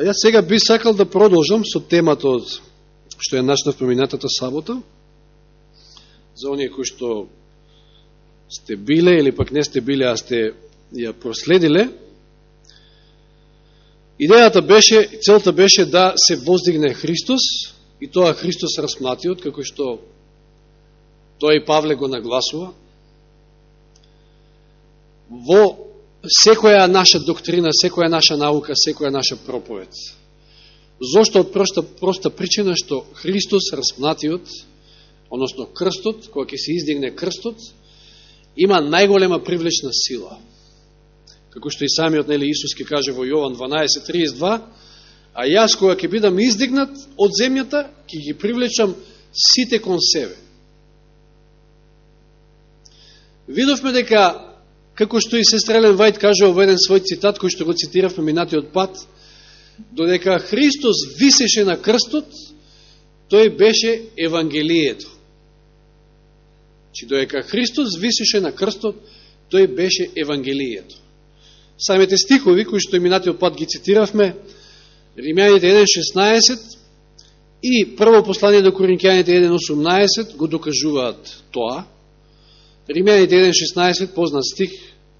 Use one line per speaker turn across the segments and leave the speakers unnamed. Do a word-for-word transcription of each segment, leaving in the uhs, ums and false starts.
А јас сега би сакал да продолжам со темата од што ја начнав поминатата сабота, за оние кои што сте биле или пак не сте биле, а сте ја проследиле. Идејата беше, целта беше да се воздигне Христос, и тоа Христос распнатиот, како што тоа и Павле го нагласува. Во секоја наша доктрина, секоја наша наука, секоја наша проповед. Зошто? Од проста, проста причина што Христос распнатиот, односно крстот, кога ќе се издигне крстот, има најголема привлечна сила. Како што и самиот нели Исус ќе каже во Јован дванаесет триесет и два, а јас кога ќе бидам издигнат од земјата, ќе ги привлечам сите кон себе. Видовме дека, како што и сестра Елен Вајд каже во еден свој цитат, кој што го цитиравме минатиот пат, додека Христос висеше на крстот, тој беше Евангелието. Чи додека Христос висеше на крстот, тој беше Евангелието. Самите стихови, кои што и минатиот пат ги цитиравме, Римјаните еден шеснаесет и прво послание до Коринќаните еден осумнаесет го докажуваат тоа. Римјаните еден шеснаесет, познат стих,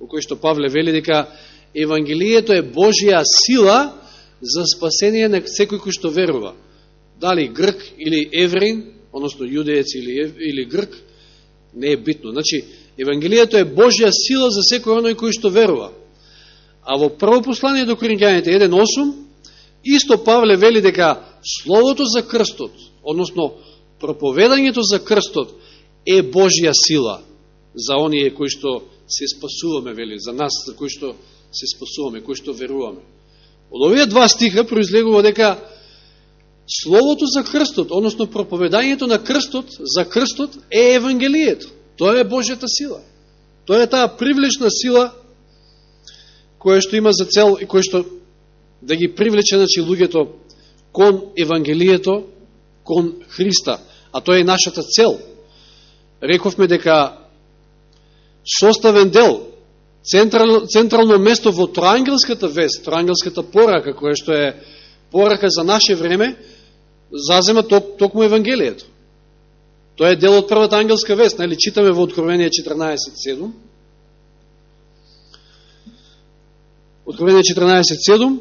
во кој што Павле вели дека Евангелието е Божја сила за спасение на секој кој што верува. Дали грк или евреин, односно јудеец или, или грк, не е битно. Значи, Евангелието е Божја сила за секој оној кој што верува. А во прво послание до Коринќаните еден осум, исто Павле вели дека словото за крстот, односно проповедањето за крстот е Божја сила за оние кои што се спасуваме, вели, за нас, за кои што се спасуваме, кои што веруваме. Од овие два стиха произлегува дека словото за крстот, односно проповедањето на крстот, за крстот е Евангелието. Тоа е Божјата сила. Тоа е таа привлечна сила која што има за цел и која што да ги привлече, значи, луѓето кон Евангелието, кон Христа. А тоа е нашата цел. Рековме дека составен дел, централ, централно место во троангелската вест, троангелската порака, која што е порака за наше време, зазема ток, токму Евангелието. Тоа е дел од првата ангелска вест, нели читаме во Откровение четрнаесет седум. Откровение четрнаесет седум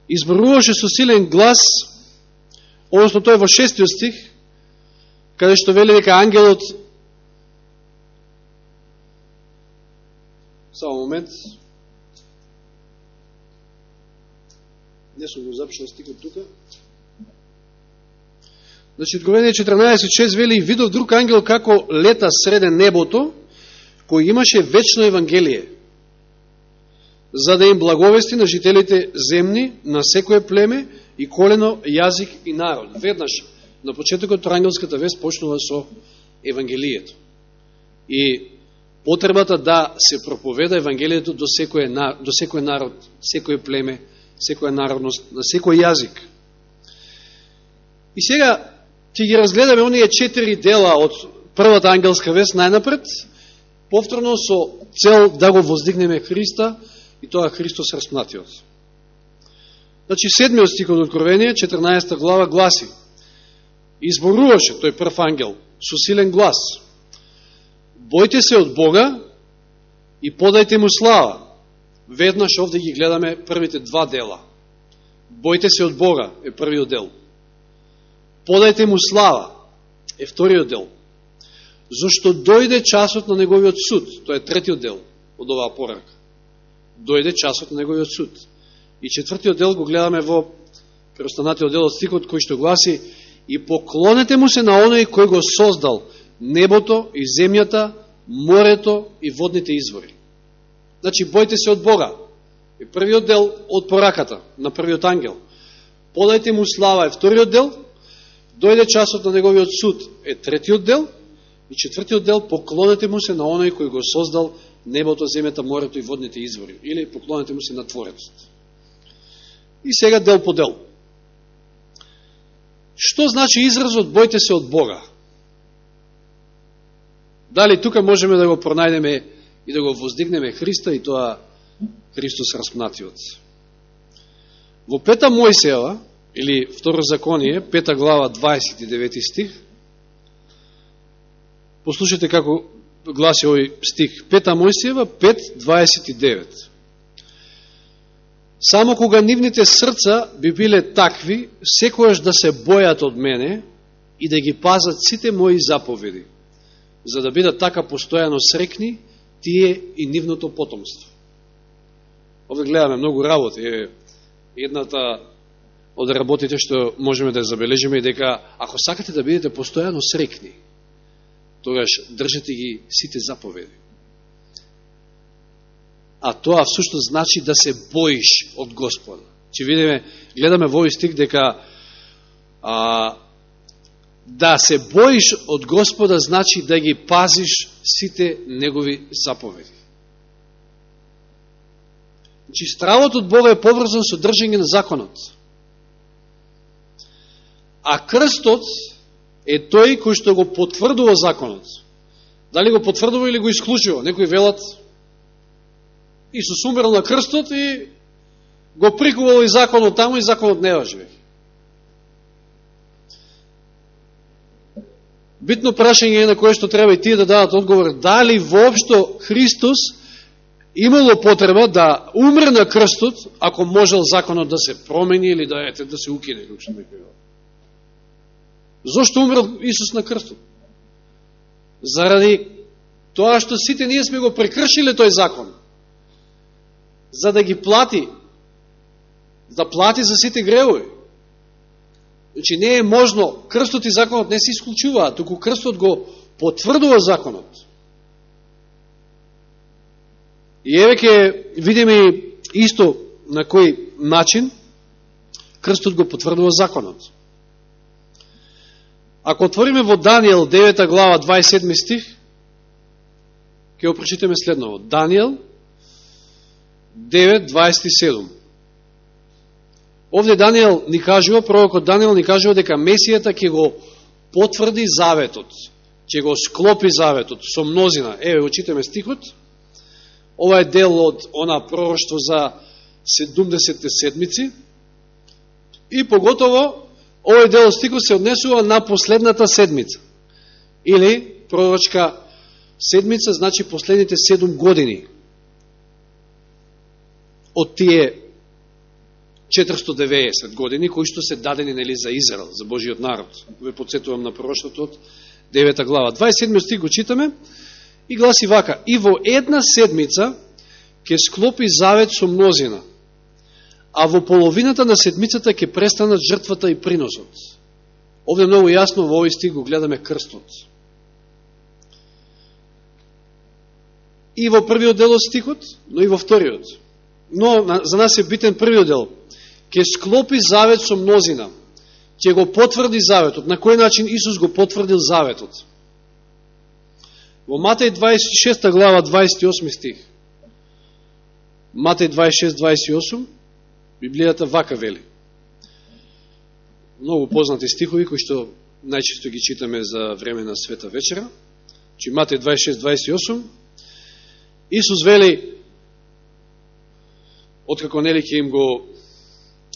изборуваше со силен глас, односно тој во шестиот стих, каде што вели дека ангелот, само момент, не сум го запишал стихот тука. Значи, Откровение четрнаесет шест вели, видов друг ангел како лета среде небото, кој имаше вечно Евангелие, за да им благовести на жителите земни, на секое племе и колено, јазик и народ. Веднаш, на почетокот троангелската вест почнува со Евангелието. И потребата да се проповеда Евангелието до секој, до секој народ, секој племе, секоја народност, на секој јазик. И сега ќе ги разгледаме оние четири дела од првата ангелска вест најнапред, повторно со цел да го воздигнеме Христа, и тоа Христос распнатиот. Значи, седмиот стих од Откровение, четрнаесета глава, гласи: изборуваше тој прв ангел со силен глас: бојте се од Бога и подајте му слава. Веднаш овде ги гледаме првите два дела. Бојте се од Бога е првиот дел. Подајте му слава е вториот дел. Зошто дојде часот на неговиот суд. Тоа е третиот дел од оваа порака. Дојде часот на неговиот суд. И четвртиот дел го гледаме во преостанатиот дел од стихот, кој што гласи: и поклонете му се на оној кој го создал небото и земјата, морето и водните извори. Значи, бојте се од Бога е првиот дел од пораката на првиот ангел. Подајте му слава е вториот дел. Дојде часот на неговиот суд е третиот дел. И четвртиот дел: поклонете му се на оној кој го создал небото, земјата, морето и водните извори. Или поклонете му се на Творецот. И сега дел по дел. Што значи изразот бојте се од Бога? Дали тука можеме да го пронајдеме и да го воздигнеме Христа и тоа Христос распнатиот? Во пета Мојсеева, или Второзаконие, пета глава, дваесет и девети стих, послушайте како гласи овој стих. Пета Мојсеева, пет, дваесет и девет. Само кога нивните срца би биле такви, секојаш да се бојат од мене и да ги пазат сите мои заповеди, за да бидат така постојано срекни тие и нивното потомство. Овде гледаме многу работи. Едната од работите што можеме да забележиме е дека ако сакате да бидете постојано срекни, тогаш држете ги сите заповеди. А тоа всушност значи да се боиш од Господа. Че видиме, гледаме во овој стих дека а, да се боиш од Господа значи да ги пазиш сите негови заповеди. Значи стравот од Бога е поврзан со држење на законот. А крстот е тој кој што го потврдува законот. Дали го потврдува или го исклучува? Некои велат Исус умрел на крстот и го прикувал и законот таму и законот не важи. Битно прашање е на кое што треба и тие да дадат одговор. Дали воопшто Христос имало потреба да умре на крстот, ако можел законот да се промени или да, ете, да се укине, како што ме кажа. Зошто умрел Исус на крстот? Заради тоа што сите ние сме го прекршиле тој закон, за да ги плати, да плати за сите гревови. Значи не е можно, крстот и законот не се исклучуваат, туку крстот го потврдува законот. И еве ќе видиме исто на кој начин крстот го потврдува законот. Ако отвориме во Данијел девета глава дваесет и седми стих, ќе го прочитаме следново. Данијел девет дваесет и седум. Овде Данијел ни кажува, пророкот Данијел ни кажува дека Месијата ќе го потврди заветот, ќе го склопи заветот со мнозина. Еве, очитаме стихот. Ова е дел од она пророштво за седумдесетте седмици и поготово овој дел од стихот се однесува на последната седмица. Или пророчка седмица, значи последните седум години од тие четиристотини и деветдесет години, кои што се дадени нели за Израел, за Божиот народ. Ве подсетувам на пророштвото од девета глава. дваесет и седми стих го читаме и гласи вака: и во една седмица ќе склопи завет со мнозина, а во половината на седмицата ќе престанат жртвата и приносот. Овде многу јасно во овој стих го гледаме крстот. И во првиот дел од стихот, но и во вториот. Но за нас е битен првиот дел. Ќе склопи завет со мнозина, ќе го потврди заветот. На кој начин Исус го потврдил заветот? Во Матеј дваесет и шеста глава дваесет и осми стих. Матеј дваесет и шест дваесет и осум, Библијата вака вели. Многу познати стихови кои што најчесто ги читаме за време на Света вечера. Чи Матеј дваесет и шест дваесет и осум. Исус вели, откако нели ќе им го,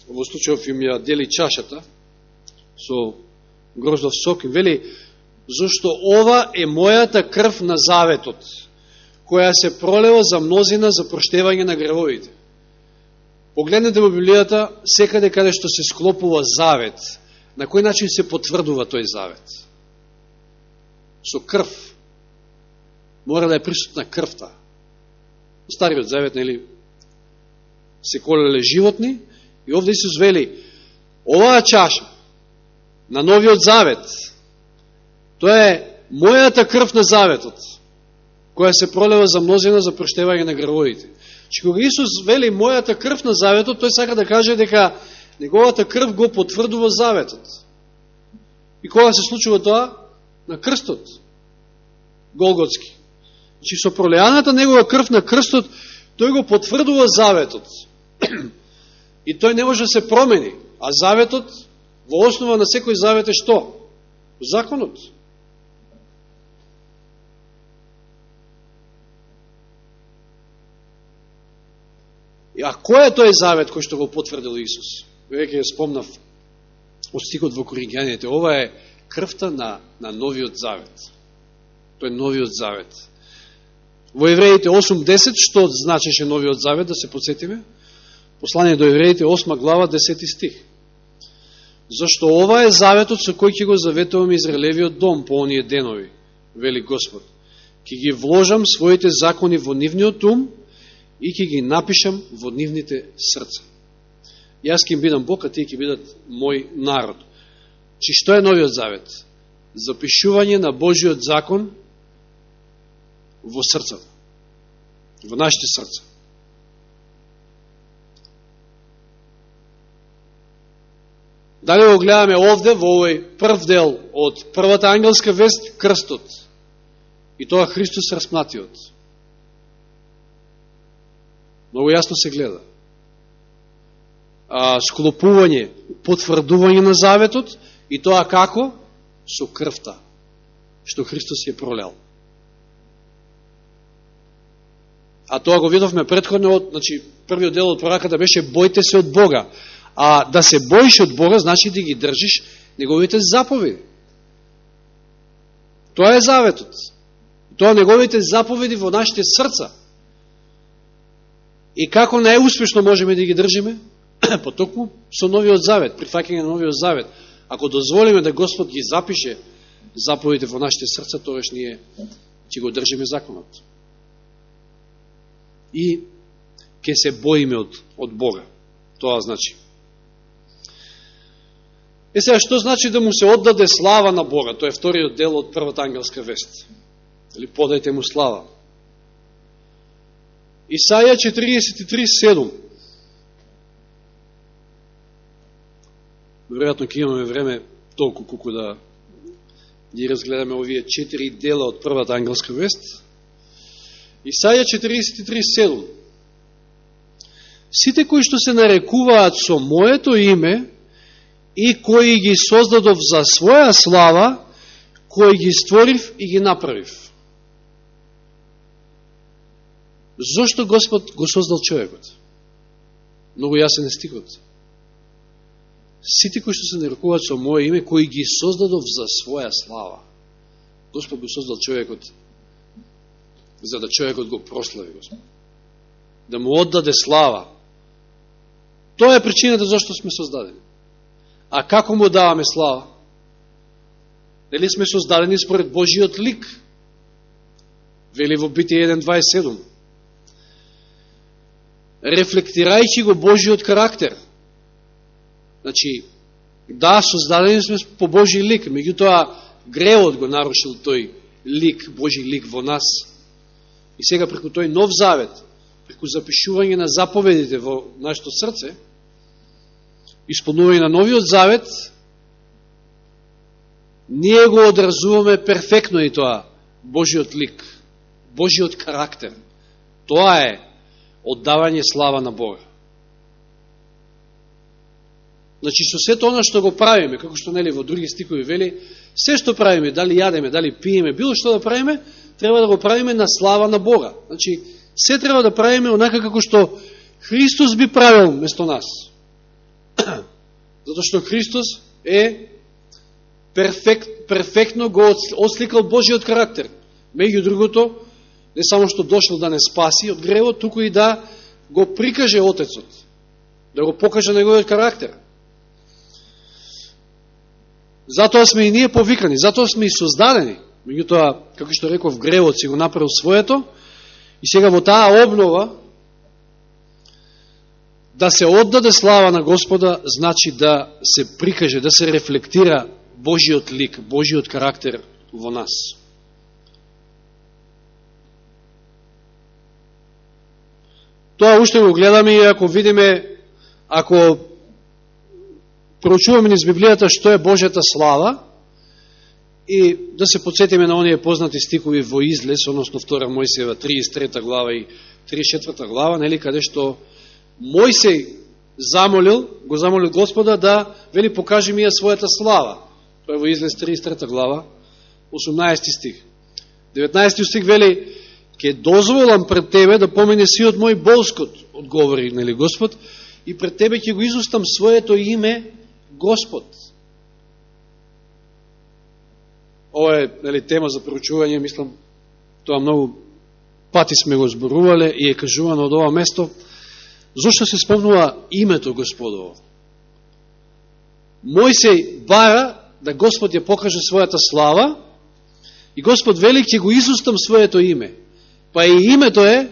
во случајов им ја дели чашата со гроздов сок, им вели, зашто ова е мојата крв на заветот, која се пролева за мнозина за проштевање на гревовите. Погледнете во Библијата, секаде каде што се склопува завет, на кој начин се потврдува тој завет? Со крв. Мора да е присутна крвта. Стариот завет, нели, се колеле животни, и овде Исус вели, оваа чаша на новиот завет, тоа е мојата крв на заветот, која се пролева за мнозина за проштевање на гревовите. Че кога Исус вели мојата крв на заветот, тој сака да каже дека неговата крв го потврдува заветот. И кога се случува тоа? На крстот. Голготски. Че со пролеаната негова крв на крстот, тој го потврдува заветот. И тој не може да се промени. А заветот, во основа на секој завет е што? Законот. А кој е тој завет кој што го потврдил Исус? Веќе ја спомнав од стихот во Коринќаните. Ова е крвта на, на новиот завет. Тој е новиот завет. Во Евреите осум десет, што значеше новиот завет, да се подсетиме? Послание до Евреите, осма глава, десети стих. Зашто ова е заветот со кој ќе го заветувам Израелевиот дом по оние денови, вели Господ. Ќе ги вложам своите закони во нивниот ум и ќе ги напишам во нивните срца. Јас ќе им бидам Бог, а тие ќе бидат мој народ. Чи што е новиот завет? Запишување на Божиот закон во срцата, во нашите срца. Дали го гледаме овде, во овој прв дел од првата ангелска вест, крстот, и тоа Христос распнатиот. Много јасно се гледа. А, склопување, потврдување на заветот, и тоа како? Со крвта, што Христос ја пролел. А тоа го видовме претходно од, значи, првиот дел од пораката беше бојте се од Бога. А да се боиш од Бога, значи да ги држиш неговите заповеди. Тоа е заветот. Тоа неговите заповеди во нашите срца. И како најуспешно можеме да ги држиме? Потокму со новиот завет, прифаќање на новиот завет. Ако дозволиме да Господ ги запише заповедите во нашите срца, тогаш ние ќе го држиме законот. И ќе се боиме од, од Бога. Тоа значи. Е сега, што значи да му се оддаде слава на Бога? Тоа е вториот дел од првата ангелска вест. Или подајте му слава. Исаја четириесет и три седум. Веројатно ќе имаме време толку колку да ги разгледаме овие четири дела од првата ангелска вест. Исаја четириесет и три седум. Сите кои што се нарекуваат со моето име и кои ги создадов за своја слава, кои ги створив и ги направив. Зошто Господ го создал човекот? Многу јасен е стихот. Сите кои што се нарекуваат со моје име, кои ги создадов за своја слава. Господ го создал човекот за да човекот го прослави, Господ. Да му оддаде слава. Тоа е причината зашто сме создадени. А како му даваме слава? Дали сме создадени според Божиот лик? Вели во Битие еден дваесет и седум. Рефлектирајќи го Божиот карактер. Значи, да, создадени сме по Божи лик, меѓутоа гревот го нарушил тој лик, Божи лик во нас. И сега преку тој нов завет, преку запишување на заповедите во нашето срце, исполнување на новиот завет, ние го одразуваме перфектно и тоа, Божиот лик, Божиот карактер. Тоа е оддавање слава на Бога. Значи, со сето оно што го правиме, како што нели во други стикови вели, се што правиме, дали јадеме, дали пиеме, било што да правиме, треба да го правиме на слава на Бога. Значи, се треба да правиме онака како што Христос би правил место нас. Затоа што Христос е перфект, перфектно го отсликал Божиот карактер. Меѓу другото, не само што дошол да не спаси од гревот, туку и да го прикаже Отецот, да го покаже неговиот карактер. Затоа сме и ние повикани, затоа сме и создадени. Меѓутоа, како што реков, гревот си го направил своето, и сега во таа обнова да се оддаде слава на Господа, значи да се прикаже, да се рефлектира Божиот лик, Божиот карактер во нас. Тоа уште го гледаме и ако видиме, ако проучуваме низ Библијата што е Божјата слава, и да се подсетиме на оние познати стикови во Излез, односно втора Мојсеева триесет и трета глава и триесет и четврта глава, нели, каде што Мојсей замолил, го замолил Господа да, вели, покажи ми ја својата слава. Тоа е во Излез триесет и трета глава, осумнаесети стих. деветнаесети стих вели, Ке дозволам пред тебе да помине сиот мој болскот, одговори, нели, Господ, и пред тебе ќе го изустам своето име Господ. Ова е, нели, тема за проучување, мислам, тоа многу пати сме го зборувале и е кажувано од ова место. Зошто се спомнува името Господово? Мојсей бара да Господ ја покаже својата слава и Господ вели ќе го изустам своето име. Па и името е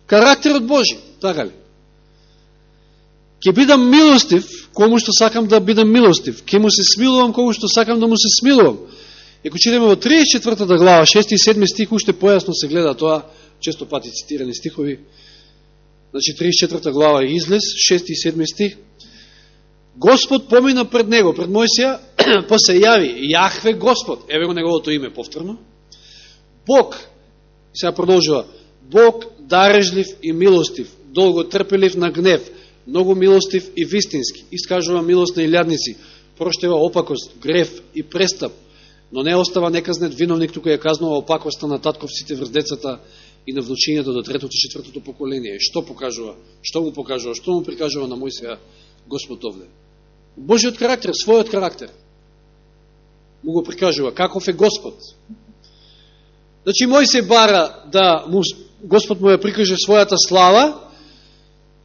карактерот Божи, така ли? Ќе бидам милостив кому што сакам да бидам милостив. Ќе му се смилувам кому што сакам да му се смилувам. Еко читаме во тридесет и четвртата глава, шести и седми стих, уште појасно се гледа тоа, често пати цитирани стихови. Значи, тридесет и четвртата глава е излез, шести и седми стих. Господ помина пред него, пред Мојсија, па се јави Јахве Господ, еве го неговото име повторно. Бог, сега продолжува, Бог дарежлив и милостив, долго трпелив на гнев, многу милостив и вистински, искажува милост на илјадници, проштева опакост, грев и престап, но не остава неказнет виновник, тука ја казнува опакоста на татковците врз децата и на внучињето до третото и четвртото поколение. Што покажува? Што му покажува? Што му прикажува на Мојсија Господ овде? Божиот карактер, својот карактер. Му го прикажува. Каков е Господ? Значи, Мојсија бара да му, Господ му ја прикаже својата слава,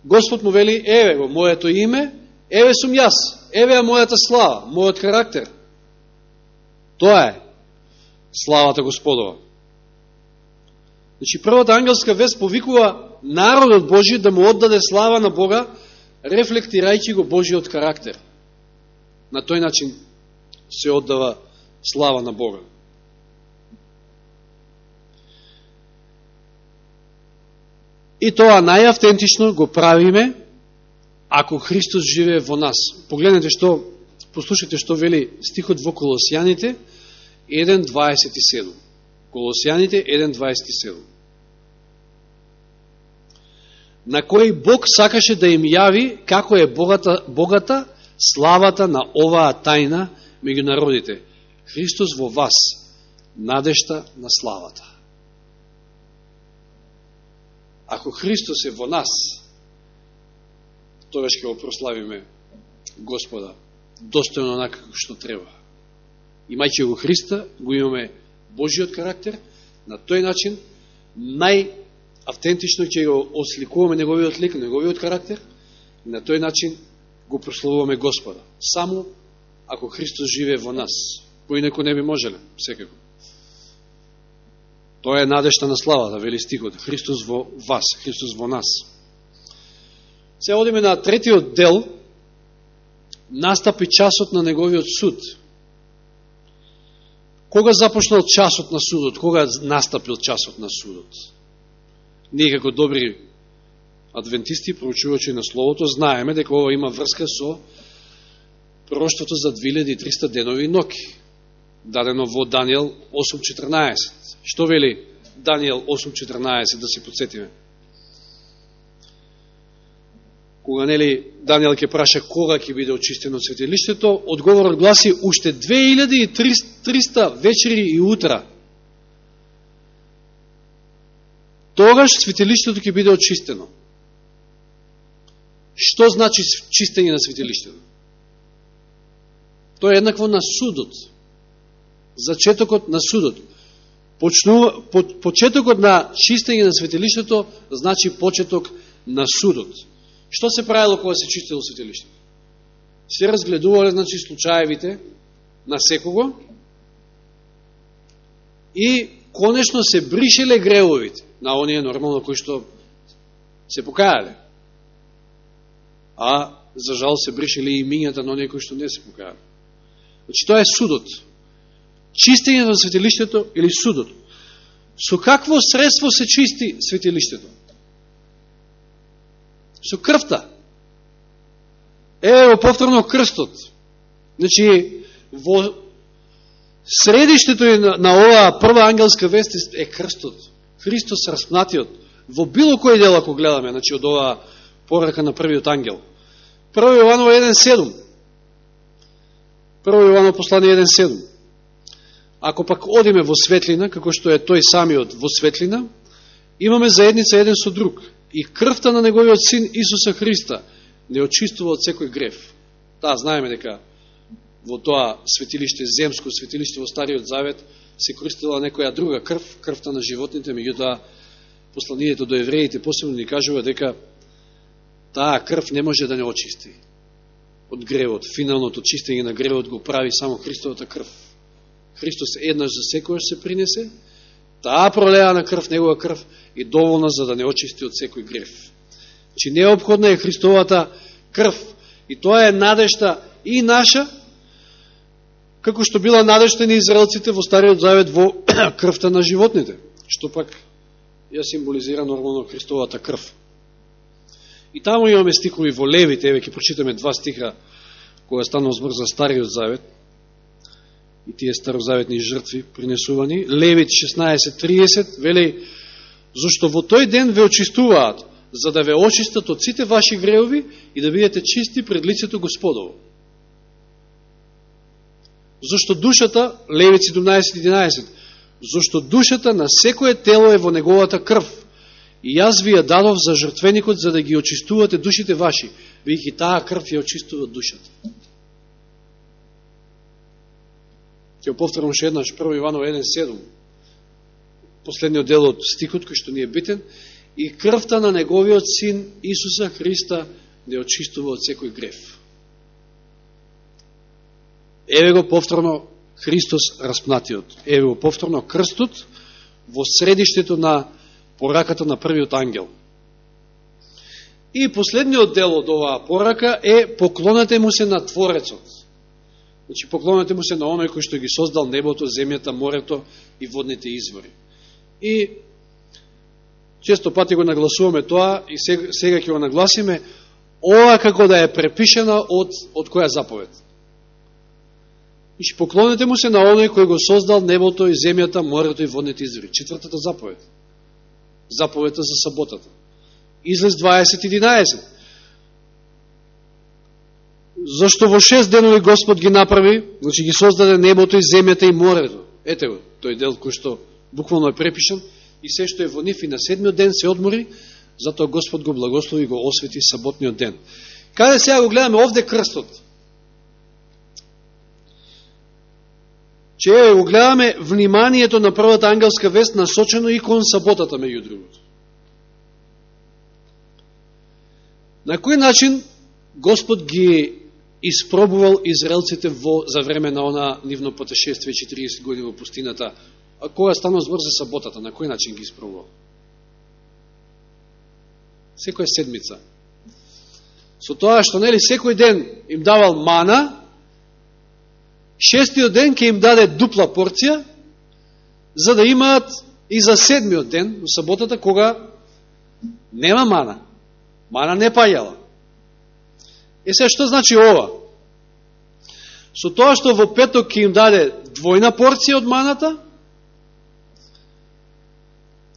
Господ му вели, еве го, моето име, еве сум јас, еве е мојата слава, мојот карактер. Тоа е славата Господова. Значи, првата ангелска вест повикува народот Божи да му оддаде слава на Бога, рефлектирајќи го Божиот карактер. На тој начин се оддава слава на Бога. И тоа најавтентично го правиме ако Христос живее во нас. Погледнете што, послушайте што вели стихот во Колосјаните еден дваесет и седум. Колосјаните еден дваесет и седум. На кој Бог сакаше да им јави како е богата, богата славата на оваа тајна меѓу народите. Христос во вас, надежта на славата. Ако Христос е во нас, тогаш ќе го прославиме Господа достојно онака како што треба. Имајќи го Христа, го имаме Божиот карактер, на тој начин најавтентично ќе го осликуваме неговиот лик, неговиот карактер, и на тој начин го прославуваме Господа. Само ако Христос живее во нас, поинаку не би можеле, секако. Тоа е надежта на славата, вели стихот. Христос во вас, Христос во нас. Се одиме на третиот дел, настапи часот на неговиот суд. Кога започнал часот на судот? Кога настапил часот на судот? Ние како добри адвентисти, проучувачи на Словото, знаеме дека ова има врска со пророштвото за две илјади и триста денови и ноќи, дадено во Данијел осум четрнаесет. Што вели Данијел осум четрнаесет, да се подсетиме? Кога, нели, Данијел ќе праша кога ќе биде очистено светилиштето, одговорот гласи уште две илјади и триста вечери и утра. Тогаш светилиштето ќе биде очистено. Што значи чистење на светилиштето? Тоа е еднакво на судот. Зачетокот на судот. Почнува, по, почетокот на чистење на светилиштето значи почеток на судот. Што се правило кога се чистило светилиштето? Се разгледувале, значи, случаевите на секого и конечно се бришеле гревовите на оние нормално кои што се покајале. А, за жал, се бришеле и имињата на оние кои што не се покајале. Значи, тоа е судот. Чистење на светилиштето или судот. Со какво средство се чисти светилиштето? Со крвта. Ево повторно крстот. Значи, во средиштето на, на оваа прва ангелска вест е крстот. Христос распнатиот. Во било кој дел, ако гледаме, значи, од оваа порака на првиот ангел. Прво Јованово еден седум. Прво Јованово послание еден седум. Ако пак одиме во светлина, како што е тој самиот во светлина, Имаме заедница еден со друг. И крвта на неговиот син Исуса Христа не очистува од секој греф. Таа знаеме дека во тоа светилиште, земско светилиште во Стариот Завет, се користила некоја друга крв, крвта на животните, меѓутоа посланието до евреите посебно ни кажува дека таа крв не може да не очисти од гревот. Финалното чистење на гревот го прави само Христовата крв. Христос еднаш за секојаш се принесе, таа пролеана крв, негова крв, е доволна за да не очисти од секој грев. Че неопходна е Христовата крв. И тоа е надежта и наша, како што била надежта на израелците во Стариот Завет во крвта на животните, што пак ја символизира нормално Христовата крв. И таму имаме стихови во Левите, еве ќе прочитаме два стиха која станува збор за Стариот Завет и тие старозаветни жртви принесувани. Левит шеснаесет тридесет вели: зашто во тој ден ве очистуваат, за да ве очистат од сите ваши греови и да бидете чисти пред лицето Господово. Зашто душата, Левит седумнаесет единаесет, зашто душата на секое тело е во неговата крв, и јас ви ја дадов за жртвеникот, за да ги очистувате душите ваши, бидејќи таа крв ја очистува душата. Ќе повторам ше еднаш, прво Јованово еден седум, последниот дел од стихот кој што ни е битен: и крвта на неговиот син Исуса Христа не очистува од секој греф. Еве го повторно Христос распнатиот. Еве го повторно крстот во средиштето на пораката на првиот ангел. И последниот дел од оваа порака е: поклонете му се на Творецот. Значи, поклонете му се на оној кој што ги создал небото, земјата, морето и водните извори. И често пати го нагласуваме тоа, и сега, сега ќе го нагласиме, ова како да е препишена од, од која заповед. Значи, поклонете му се на оној кој го создал небото и земјата, морето и водните извори. Четвртата заповед. Заповедта за саботата. Излез дваесет единаесет. Зашто во шест денови Господ ги направи, значи ги создаде небото и земјата и морето. Ете го, тој дел кој што буквално е препишан, и се што е во нив, и на седмиот ден се одмори, затоа Господ го благослови и го освети саботниот ден. Каде сега го гледаме овде крстот? Че го гледаме вниманието на првата ангелска вест насочено и кон саботата, меѓу другото. На кој начин Господ ги испробувал израелците во, за време на она нивно путешествие четириесет години во пустината? А кога станува збор за саботата, на кој начин ги испробувал? Секоја седмица. Со тоа што, нели, секој ден им давал мана, шестиот ден ќе им даде дупла порција, за да имаат и за седмиот ден, во саботата, кога нема мана. Мана не паѓала. Е, сега, што значи ова? Со тоа што во петок ќе им даде двојна порција од маната,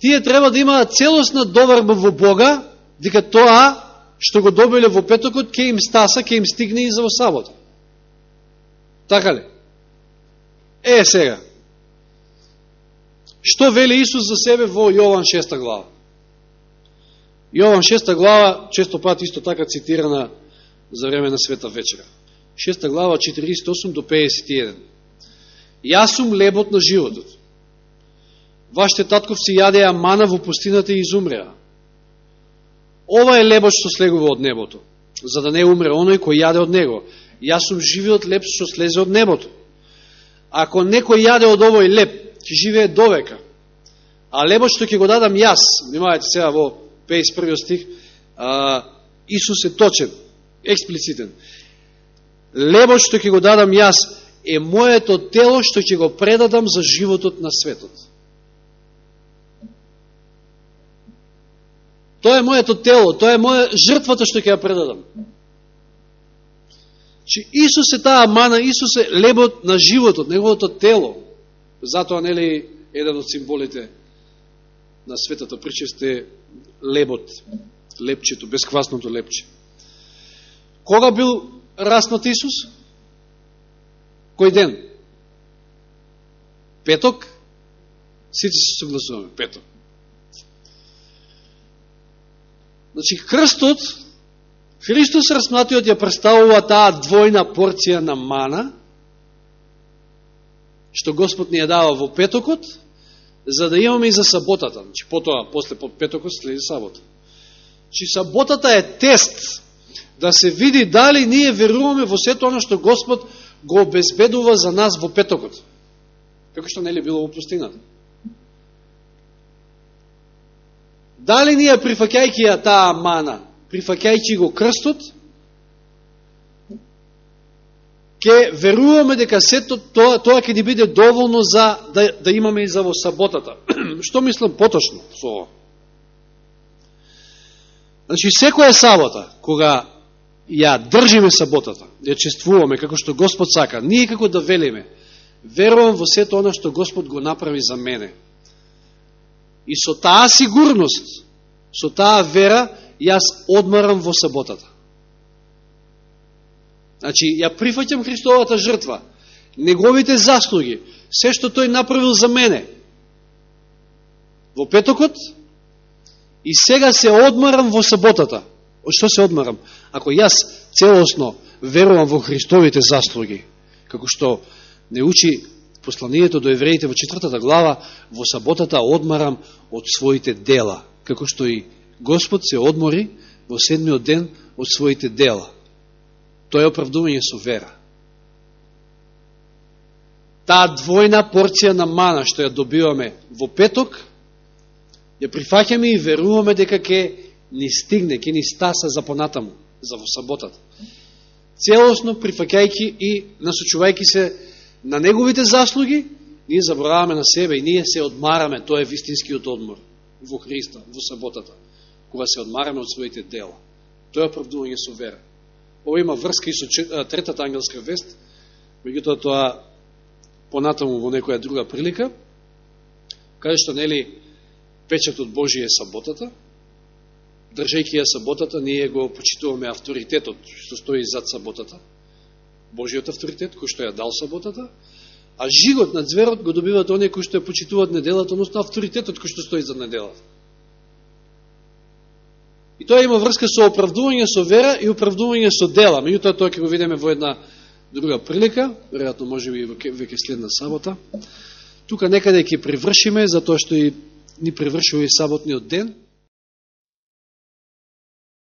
тие треба да имаат целосна доверба во Бога, дека тоа што го добиле во петокот ќе им стаса, ќе им стигне и за во сабота. Така ли? Е, сега. Што вели Исус за себе во Јован шеста глава? Јован шеста глава, често пат исто така цитирана за време на Света вечера. шеста глава, четириесет и осум до педесет и еден. Јас сум лебот на животот. Вашите татковци јадеа мана во пустината и изумреа. Ова е лебот што слегува од небото, за да не умре оној кој јаде од него. Јас сум живиот леб што слезе од небото. Ако некој јаде од овој леб, ќе живее довека. А лебот што ќе го дадам јас, внимавајте сега во педесет и првиот стих, а, Исус е точен, експлицитен. Лебот што ќе го дадам јас е моето тело што ќе го предадам за животот на светот. Тоа е моето тело, тоа е моја жртвата што ќе ја предадам. Че Исус е таа мана, Исус е лебот на животот, неговото тело. Затоа, нели, еден од символите на светата причест е лебот, лепчето, бесквасното лепче. Кога бил распнат Исус? Кој ден? Петок? Сите се согласуваме, петок. Значи, крстот, Христос распнатиот ја представува таа двојна порција на мана, што Господ ни ја дава во петокот, за да имаме и за саботата. Значи, потоа, после петокот, следи сабота. Значи, саботата е тест да се види дали ние веруваме во сето оно што Господ го обезбедува за нас во петокот. Како што не ли било во пустината. Дали ние, прифаќајќи ја таа мана, прифаќајќи го крстот, ќе веруваме дека сето тоа, тоа ќе ни биде доволно за да, да имаме и за во саботата. Што мислам поточно со ово? Значи, секоја сабота, кога ја држиме саботата, ја чествуваме како што Господ сака, ние како да велиме, верувам во сето оно што Господ го направи за мене. И со таа сигурност, со таа вера, јас одмарам во саботата. Значи, ја прифаќам Христовата жртва, неговите заслуги, се што тој направил за мене во петокот, и сега се одмарам во саботата. Од што се одмарам? Ако јас целосно верувам во Христовите заслуги, како што не учи посланието до евреите во четвртата глава, во саботата одмарам од своите дела, како што и Господ се одмори во седмиот ден од своите дела. Тоа е оправдување со вера. Таа двојна порција на мана што ја добиваме во петок, ја прифаќаме и веруваме дека ќе ни стигне, ќе ни стаса за понатаму, за во саботата. Целосно прифаќајќи и насочувајќи се на неговите заслуги, ние забораваме на себе и ние се одмараме, тоа е вистинскиот одмор во Христа, во саботата, кога се одмараме од своите дела. Тоа е оправдување со вера. Ова има врска и со третата ангелска вест, меѓутоа тоа понатаму во некоја друга прилика, каде што нели печатот Божи е саботата, држајќи ја саботата, ние го почитуваме авторитетот што стои зад саботата, Божиот авторитет, кој што ја дал саботата, а жигот на зверот го добиват оние кои што ја почитуваат неделата, односно авторитетот кој што стои зад неделата. И тоа има врска со оправдување со вера и оправдување со дела. Меѓутоа тоа ќе го видиме во една друга прилика, веројатно можеби веќе следна сабота. Тука некаде ќе привршиме, затоа што и ни привршува и саботниот ден.